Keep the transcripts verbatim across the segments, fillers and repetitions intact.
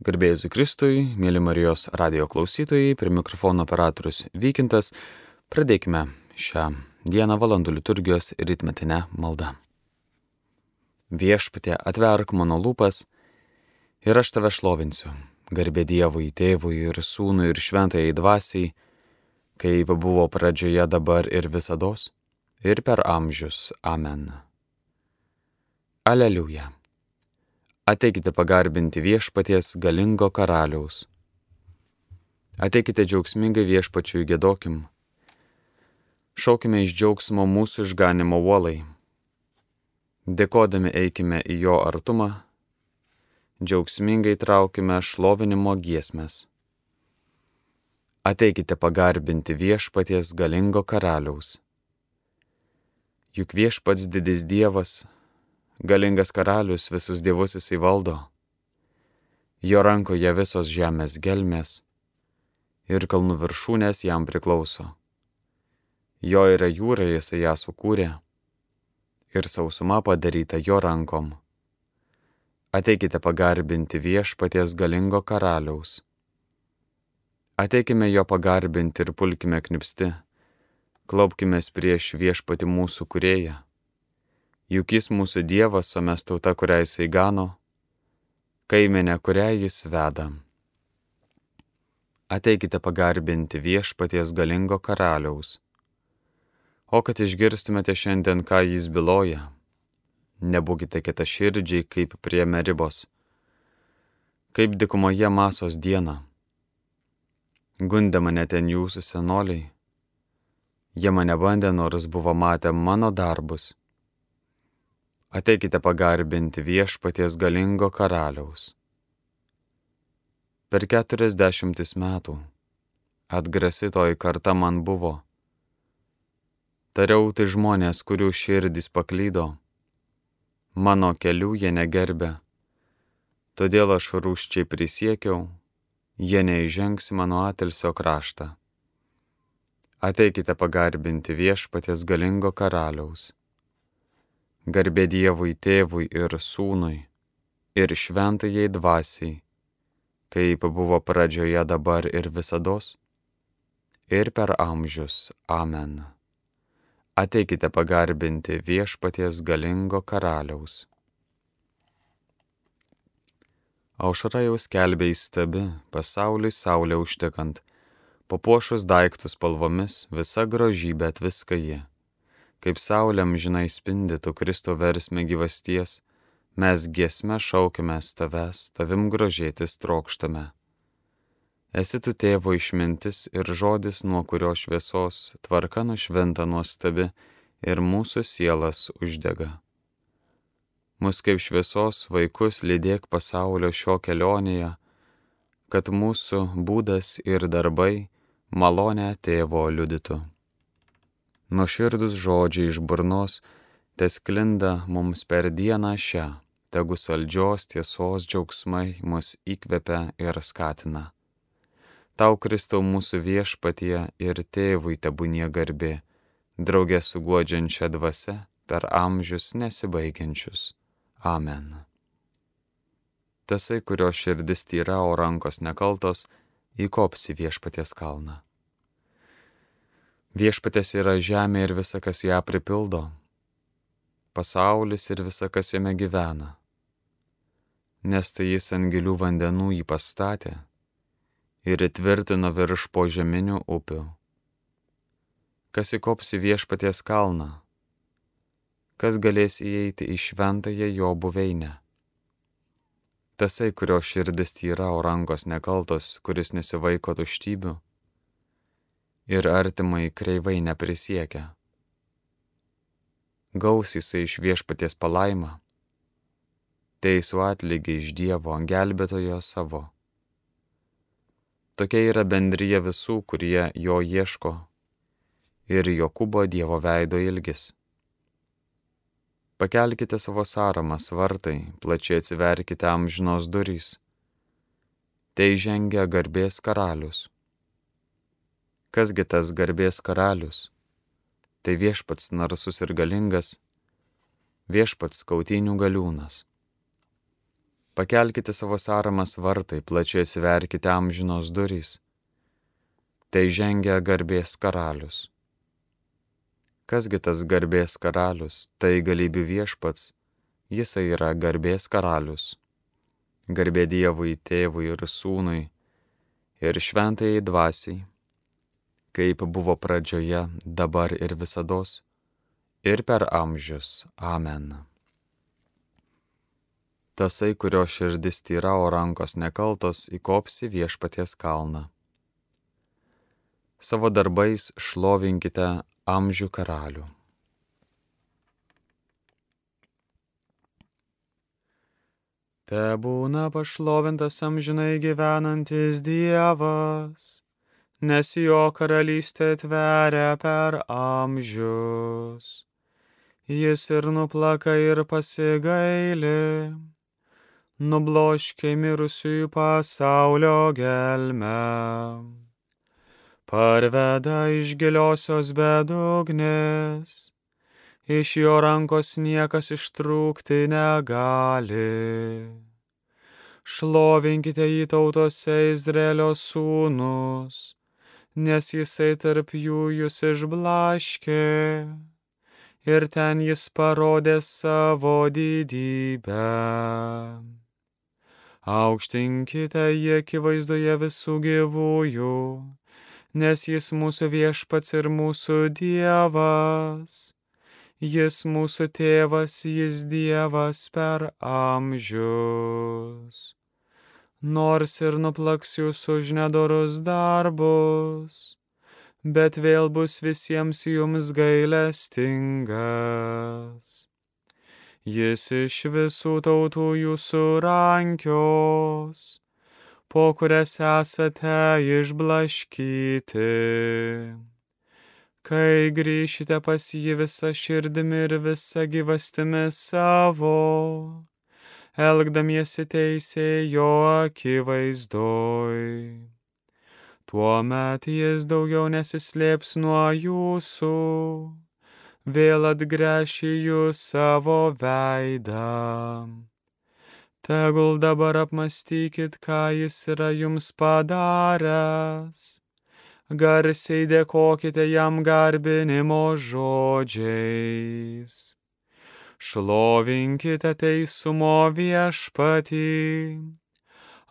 Garbė Jėzui Kristui, mėly Marijos radijo klausytojai, prie mikrofono operatorius Vykintas. Pradėkime šią dieną valandų liturgijos rytmetinę maldą. Viešpatie, atverk mano lūpas ir aš tave šlovinsiu. Garbė Dievui, Tėvui ir Sūnui ir Šventajai Dvasiai, kaip buvo pradžioje, dabar ir visados, ir per amžius. Amen. Aleliuja. Ateikite pagarbinti viešpaties galingo karaliaus. Ateikite džiaugsmingai viešpačiui giedokim. Šaukime iš džiaugsmo mūsų išganimo uolai. Dėkodami eikime į jo artumą. Džiaugsmingai traukime šlovinimo giesmes. Ateikite pagarbinti viešpaties galingo karaliaus. Juk viešpats didis Dievas, galingas karalius, visus dievus jisai valdo. Jo rankoje visos žemės gelmės ir kalnų viršūnės jam priklauso. Jo yra jūra, jisai ją sukūrė ir sausuma padaryta jo rankom. Ateikite pagarbinti viešpaties galingo karaliaus. Ateikime jo pagarbinti ir pulkime knipsti, klaupkimės prieš viešpatį mūsų kūrėją. Juk jis mūsų Dievas, o mes tauta, kurią jisai gano, kaimenė, kurią jis veda. Ateikite pagarbinti viešpaties galingo karaliaus. O kad išgirstumėte šiandien, ką jis byloja, nebūkite kietaširdžiai kaip prie Meribos, kaip dykumoje Masos dieną. Gundė mane ten jūsų senoliai, jie mane bandė, nors buvo matę mano darbus. Ateikite pagarbinti viešpaties galingo karaliaus. Per keturiasdešimtis metų atgrasi toji karta man buvo. Tariau, tai žmonės, kurių širdys paklydo, mano kelių jie negerbė, todėl aš rūsčiai prisiekiau, jie neįžengs mano atilsio kraštą. Ateikite pagarbinti viešpaties galingo karaliaus. Garbė Dievui, Tėvui ir Sūnui ir Šventajai Dvasiai, kaip buvo pradžioje, dabar ir visados, ir per amžius. Amen. Ateikite pagarbinti viešpaties galingo karaliaus. Aušra jau skelbia įstabi, pasauliui saulė užtekant, papuošus daiktus spalvomis, visa grožybė atviska ji. Kaip saulė amžinai spindi tu Kristo versme gyvasties, mes giesme šaukimės tavęs, tavim grožėtis trokštame. Esi tu Tėvo išmintis ir žodis, nuo kurio šviesos tvarka nušventa nuostabi ir mūsų sielas uždega. Mus kaip šviesos vaikus lydėk pasaulio šio kelionėje, kad mūsų būdas ir darbai malonę Tėvo liudytų. Nuoširdūs žodžiai iš burnos tesklinda mums per dieną šią, tegu saldžios tiesos džiaugsmai mus įkvepia ir skatina. Tau, Kristau, mūsų viešpatie ir Tėvui tebūnie garbė, draugė su guodžiančia dvasia per amžius nesibaigiančius. Amen. Tasai, kurio širdis tyra, o rankos nekaltos, įkops į viešpaties kalną. Viešpaties yra žemė ir visa, kas ją pripildo, pasaulis ir visa, kas jame gyvena, nes tai jis ant gilių vandenų jį pastatė ir įtvirtino virš požeminių upių. Kas įkops į viešpaties kalną, kas galės įeiti į šventąją jo buveinę. Tasai, kurio širdis tyra, o rankos nekaltos, kuris nesivaiko tuštybių ir artimai kreivai neprisiekia. Gaus jisai iš viešpaties palaimą, teisų atlygį iš Dievo gelbėtojo savo. Tokia yra bendrija visų, kurie jo ieško, ir Jokūbo Dievo veido ilgis. Pakelkite savo sąramas vartai, plačiai atsiverkite amžinos durys. Tai žengia garbės karalius. Kasgi tas garbės karalius? Tai viešpats narsus ir galingas, viešpats kautynių galiūnas. Pakelkite savo saramas vartai, plačiai atsiverkite amžinos durys. Tai žengia garbės karalius. Kasgi tas garbės karalius? Tai galybių viešpats, jisai yra garbės karalius. Garbė Dievui, Tėvui ir Sūnui ir šventajai dvasiai, kaip buvo pradžioje, dabar ir visados, ir per amžius. Amen. Tasai, kurio širdis tyra, o rankos nekaltos, įkops į viešpaties kalną. Savo darbais šlovinkite amžių karalių. Tebūna pašlovintas amžinai gyvenantis Dievas, nes jo karalystė tveria per amžius. Jis ir nuplaka ir pasigaili, nubloškė mirusiųjų pasaulio gelmę. Parveda iš giliosios bedugnės, iš jo rankos niekas ištrūkti negali. Šlovinkite jį tautose, Izraelio sūnus, nes jisai tarp jų jūs išblaškė, ir ten jis parodė savo didybę. Aukštinkite jį akivaizdoje visų gyvųjų, nes jis mūsų viešpats ir mūsų Dievas. Jis mūsų tėvas, jis Dievas per amžius. Nors ir nuplaks jūs už nedorus darbus, bet vėl bus visiems jums gailestingas. Jis iš visų tautų jūsų rankios, po kurias esate išblaškyti. Kai grįšite pas jį visą širdimi ir visą gyvastimi savo, elgdamiesi teisiai jo akivaizdoj. Tuomet jis daugiau nesislėps nuo jūsų, vėl atgręš į jūs savo veidą. Tegul dabar apmąstykit, ką jis yra jums padaręs. Garsiai dėkokite jam garbinimo žodžiais. Šlovinkite teisumo viešpatį,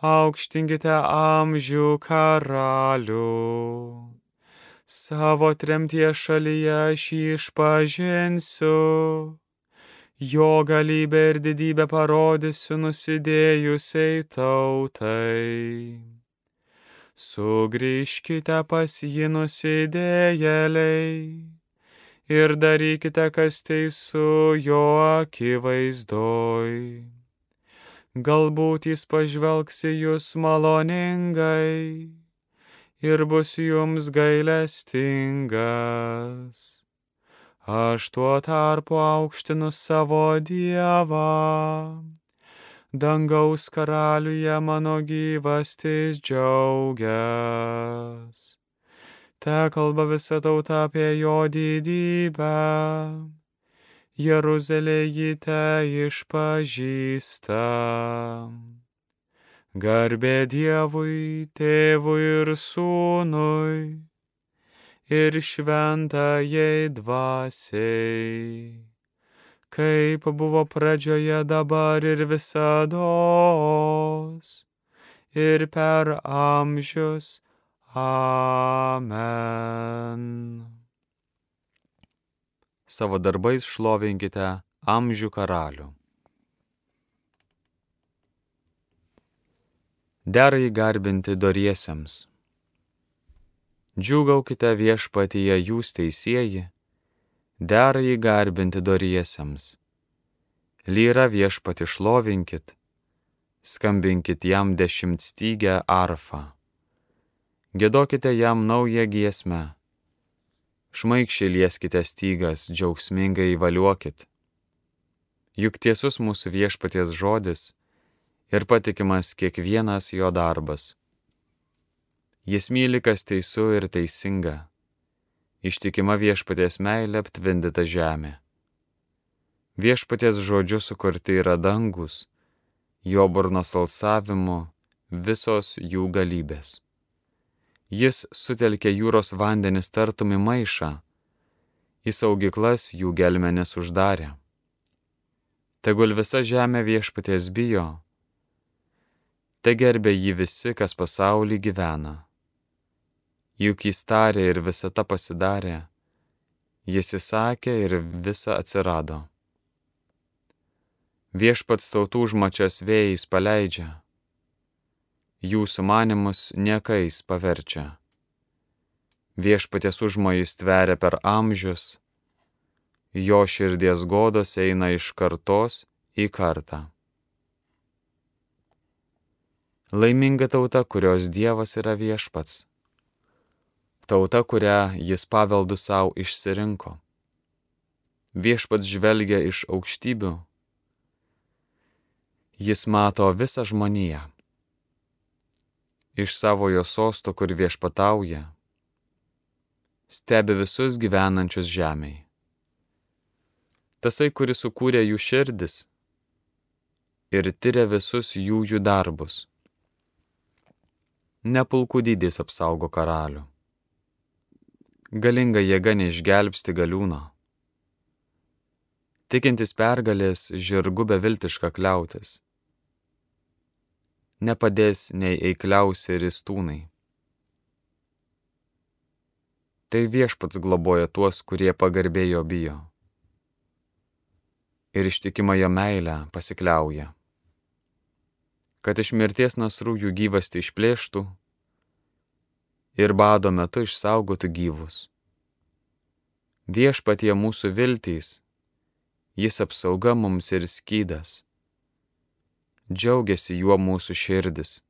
aukštinkite amžių karalių. Savo tremties šalyje aš jį išpažinsiu, jo galybę ir didybę parodysiu nusidėjusiai tautai. Sugrįžkite pas jį nusidėjėliai ir darykite, kas teisu jo akivaizdoj. Galbūt jis pažvelgs į jūs maloningai ir bus jums gailestingas. Aš tuo tarpu aukštinu savo Dievą, dangaus karaliuje mano gyvastis džiaugias. Te kalba visa tauta apie jo didybę, Jeruzalė jį te išpažįsta. Garbė Dievui, Tėvui ir Sūnui, ir šventajai dvasiai, kaip buvo pradžioje, dabar ir visados, ir per amžius. Amen. Savo darbais šlovinkite amžių karalių. Dera jį garbinti doriesiems. Džiūgaukite viešpatyje jūs teisieji, dera jį garbinti doriesiems. Lyra viešpatį šlovinkit, skambinkit jam dešimtstygę arfą. Giedokite jam naują giesmę, šmaikščiai lieskite stygas, džiaugsmingai įvaliuokit. Juk tiesus mūsų viešpaties žodis ir patikimas kiekvienas jo darbas. Jis myli, kas teisu ir teisinga, ištikima viešpaties meilė aptvindyta žemė. Viešpaties žodžiu sukurti yra dangus, jo burnos alsavimu visos jų galybės. Jis sutelkė jūros vandenis tartum į maišą, į saugyklas jų gelmenis uždarė. Tegul visa žemė Viešpaties bijo, te gerbė jį visi, kas pasauly gyvena. Juk jis tarė ir visata pasidarė, jis įsakė ir visa atsirado. Viešpats tautų užmačias vėjais paleidžia, jų sumanimus niekais paverčia. Viešpaties užmojis tveria per amžius, jo širdies godos eina iš kartos į kartą. Laiminga tauta, kurios Dievas yra Viešpats. Tauta, kurią jis paveldu savo išsirinko. Viešpats žvelgia iš aukštybių. Jis mato visą žmoniją. Iš savojo sosto, kur viešpatauja, stebi visus gyvenančius žemėj. Tasai, kuris sukūrė jų širdis ir tyria visus jų jų darbus. Ne pulkų dydis apsaugo karalių. Galinga jėga neišgelbsti galiūno. Tikintis pergalės žirgu beviltiška kliautis. Nepadės nei eikliausi ristūnai. Tai Viešpats globoja tuos, kurie pagarbėjo bijo. Ir ištikimą jo meilę pasikliauja. Kad iš mirties nasrų jų gyvastį išplėštų ir bado metu išsaugotų gyvus. Viešpatie mūsų viltys, jis apsauga mums ir skydas. Džiaugiasi juo mūsų širdis,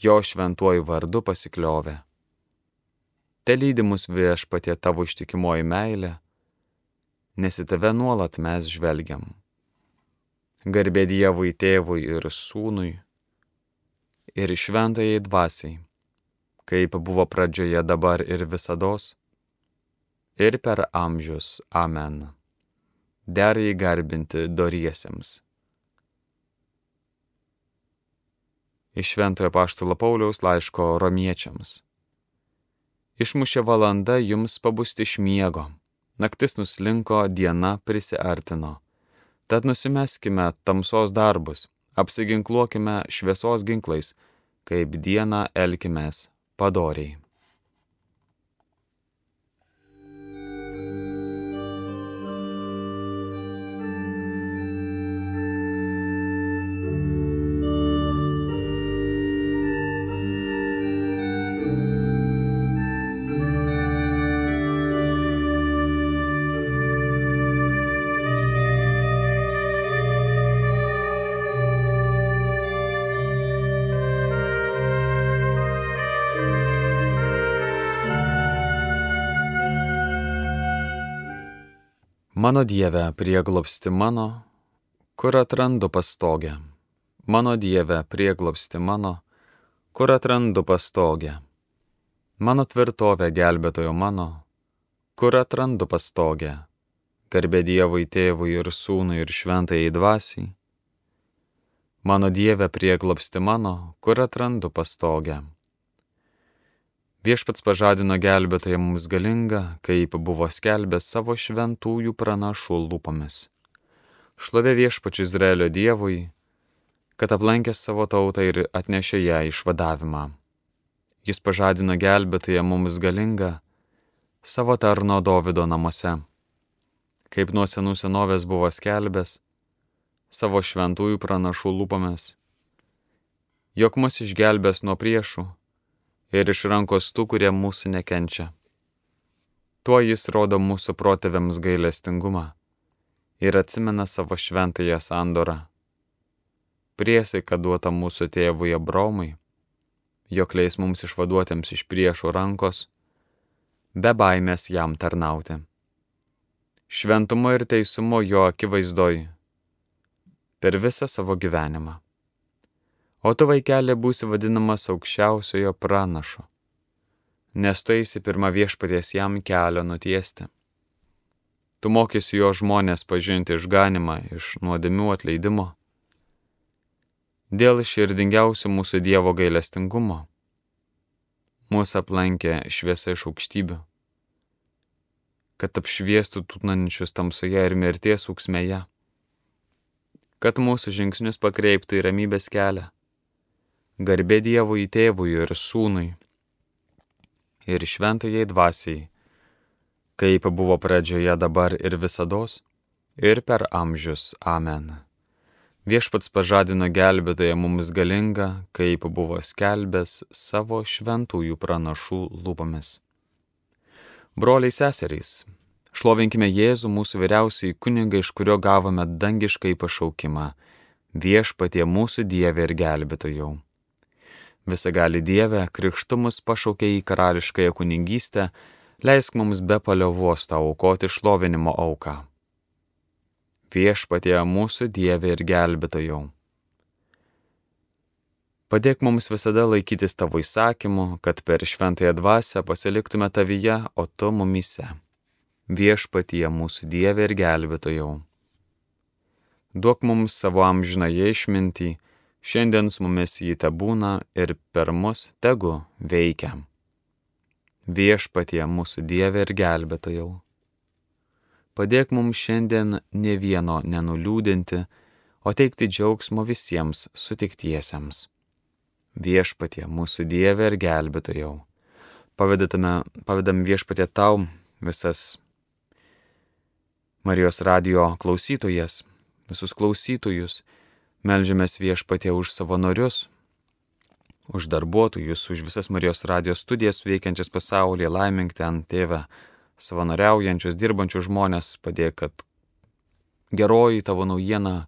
jo šventuoju vardu pasikliovė. Te lydi mus Viešpatie tavo ištikimoji meilė, nes į tave nuolat mes žvelgiam. Garbė Dievui tėvui ir sūnui, ir šventajai dvasiai, kaip buvo pradžioje dabar ir visados, ir per amžius. Amen. Der jį garbinti doriesiems. Iš Šventojo Apaštalo Pauliaus laiško Romiečiams. Išmušė valanda jums pabusti iš miego, naktis nuslinko, diena prisiartino. Tad nusimeskime tamsos darbus, apsiginkluokime šviesos ginklais, kaip dieną elkimės padoriai. Mano Dieve, prieglobsti mano, kur atrandu pastogę. Mano Dieve, prieglobsti mano, kur atrandu pastogę. Mano tvirtovė gelbėtojo mano, kur atrandu pastogę. Garbė Dievui tėvui ir sūnui ir šventajai dvasiai. Mano Dieve, prieglobsti mano, kur atrandu pastogę. Viešpats pažadino gelbėtoją mums galingą, kaip buvo skelbęs savo šventųjų pranašų lūpomis. Šlovė Viešpačiui Izraelio Dievui, kad aplankė savo tautą ir atnešė ją išvadavimą. Jis pažadino gelbėtoją mums galingą savo tarno Dovydo namuose, kaip nuo senų senovės buvo skelbęs savo šventųjų pranašų lūpomis, jog mus išgelbės nuo priešų ir iš rankos tų, kurie mūsų nekenčia. Tuo jis rodo mūsų protėviams gailestingumą ir atsimena savo šventąją sandorą. Priesaika duota mūsų tėvui Abraomui, jog leis mums išvaduotiems iš priešų rankos, be baimės jam tarnauti. Šventumo ir teisumo jo akivaizdoj per visą savo gyvenimą. O tu, vaikeli, būsi vadinamas aukščiausiojo pranašu, nes tu eisi pirma Viešpaties jam kelio nutiesti. Tu mokysi jo žmonės pažinti išganimą iš nuodėmių atleidimo Dėl širdingiausio mūsų Dievo gailestingumo mūsų aplankė šviesa iš aukštybių, kad apšviestų tūkstančius tamsoje ir mirties ūksmėje, kad mūsų žingsnius pakreiptų į ramybės kelią. Garbė Dievui Tėvui ir Sūnui ir Šventajai Dvasiai, kaip buvo pradžioje, dabar ir visados, ir per amžius. Amen. Viešpats pažadino gelbėtoją mums galingą, kaip buvo skelbęs savo šventųjų pranašų lūpomis. Broliai seserys, šlovinkime Jėzų, mūsų vyriausiąjį kunigą, iš kurio gavome dangiškai pašaukimą, Viešpatie mūsų Dieve ir gelbėtojau. Visagali Dieve, krikštu mus pašaukė į karališkąją kunigystę, leisk mums be paliovos tau aukoti šlovinimo auką. Viešpatie mūsų Dieve ir gelbėtojau. Padėk mums visada laikytis tavo įsakymų, kad per šventąją dvasią pasiliktume tavyje, o tu mumyse. Viešpatie mūsų Dieve ir gelbėtojau. Duok mums savo amžinąją išmintį, šiandien su mumis jį tebūna ir per mus tegu veikia. Viešpatie mūsų Dieve ir gelbėtojau. Padėk mums šiandien ne vieno nenuliūdinti, o teikti džiaugsmo visiems sutiktiesiems. Viešpatie mūsų Dieve ir gelbėtojau. Pavedam Viešpatie tau visas Marijos radijo klausytojas, visus klausytojus, meldžiamės Viešpatie už savanorius, už darbuotojus, už visas Marijos radijo studijas veikiančias pasaulyje, laimink ten, Tėve, savanoriaujančius, dirbančius žmonės, padėk, kad geroji tavo naujiena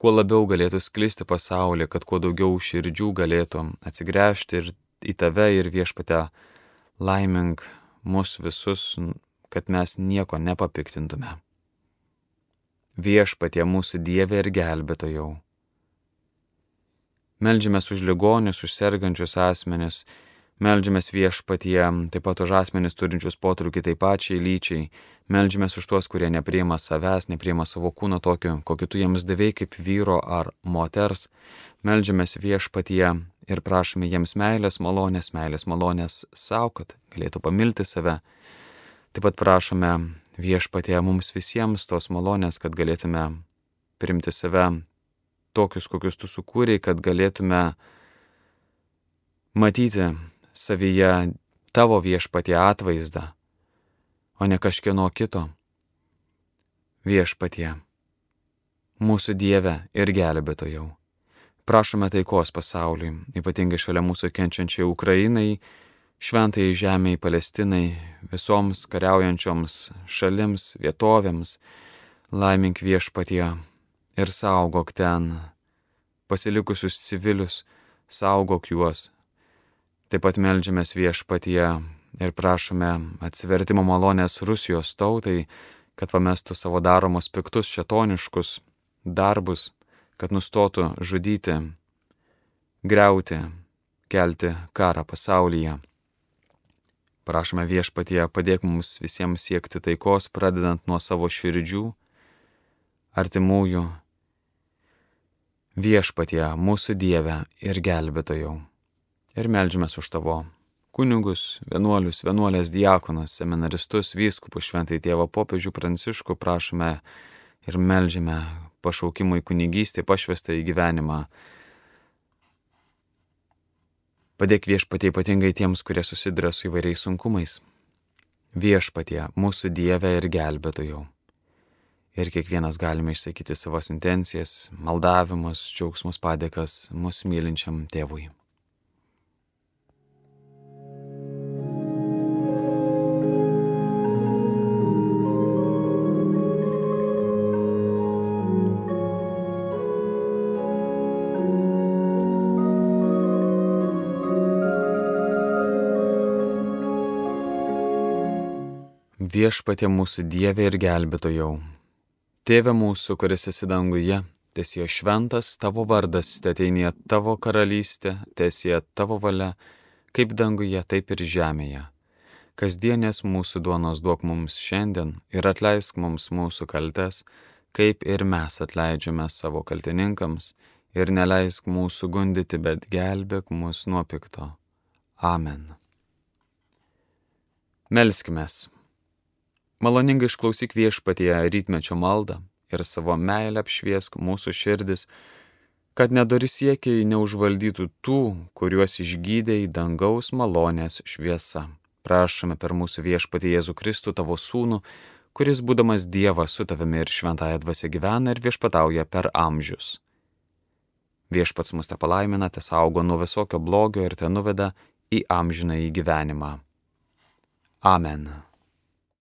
kuo labiau galėtų sklisti pasaulyje, kad kuo daugiau širdžių galėtų atsigręžti ir į tave ir Viešpatie, laimink mus visus, kad mes nieko nepapiktintume. Viešpatie mūsų Dieve ir gelbėtojau. Meldžiamės už ligonius, už sergančius asmenis, meldžiamės Viešpatie taip pat už asmenis turinčius potraukį taip pačiai lyčiai, meldžiamės už tuos, kurie nepriima savęs, nepriima savo kūno tokio, kokį tu jiems davei kaip vyro ar moters, meldžiamės Viešpatie ir prašome jiems meilės malonės, meilės malonės savo, kad galėtų pamilti save. Taip pat prašome Viešpatie mums visiems tos malonės, kad galėtume priimti save tokius, kokius tu sukūrei, kad galėtume matyti savyje tavo Viešpatie atvaizdą, o ne kažkieno kito. Viešpatie, mūsų Dieve ir gelbėtojau. Prašome taikos pasauliui, ypatingai šalia mūsų kenčiančiai Ukrainai, šventai žemei Palestinai, visoms kariaujančioms šalims, vietovėms. Laimink Viešpatie ir saugok ten pasilikusius civilius, saugok juos. Taip pat meldžiamės Viešpatie ir prašome atsivertimo malonės Rusijos tautai, kad pamestų savo daromus piktus šėtoniškus darbus, kad nustotų žudyti, griauti, kelti karą pasaulyje. Prašome Viešpatie, padėk mums visiems siekti taikos, pradedant nuo savo širdžių, artimųjų. Viešpatie, mūsų Dieve ir gelbėtojau. Ir meldžiamės už tavo kunigus, vienuolius, vienuolės, diakonus, seminaristus, vyskupus, šventai tėvą popiežių Pranciškų, prašome ir meldžiame pašaukimui kunigystė, pašvestą į gyvenimą. Padėk Viešpatie ypatingai tiems, kurie susiduria su įvairiais sunkumais. Viešpatie, mūsų Dieve ir gelbėtojau. Ir kiekvienas galime išsakyti savas intencijas, maldavimus, džiaugsmus, padėkas mus mylinčiam Tėvui. Viešpatie mūsų Dieve ir gelbėtojau. Tėve mūsų, kuris esi danguje, teesie šventas tavo vardas, teateinie tavo karalystė, teesie tavo valia, kaip danguje, taip ir žemėje. Kasdienės mūsų duonos duok mums šiandien ir atleisk mums mūsų kaltes, kaip ir mes atleidžiame savo kaltininkams, ir neleisk mūsų gundyti, bet gelbėk mus nuo pikto. Amen. Melskimės. Maloningai išklausyk Viešpatie rytmečio maldą ir savo meilę apšviesk mūsų širdis, kad nedori siekiai neužvaldytų tų, kuriuos išgydei dangaus malonės šviesa. Prašome per mūsų Viešpatį Jėzų Kristų, tavo sūnų, kuris būdamas Dievas su tavimi ir šventąja dvasia gyvena ir viešpatauja per amžius. Viešpats mus te palaimina, te saugo nuo visokio blogio ir te nuveda į amžinąjį gyvenimą. Amen.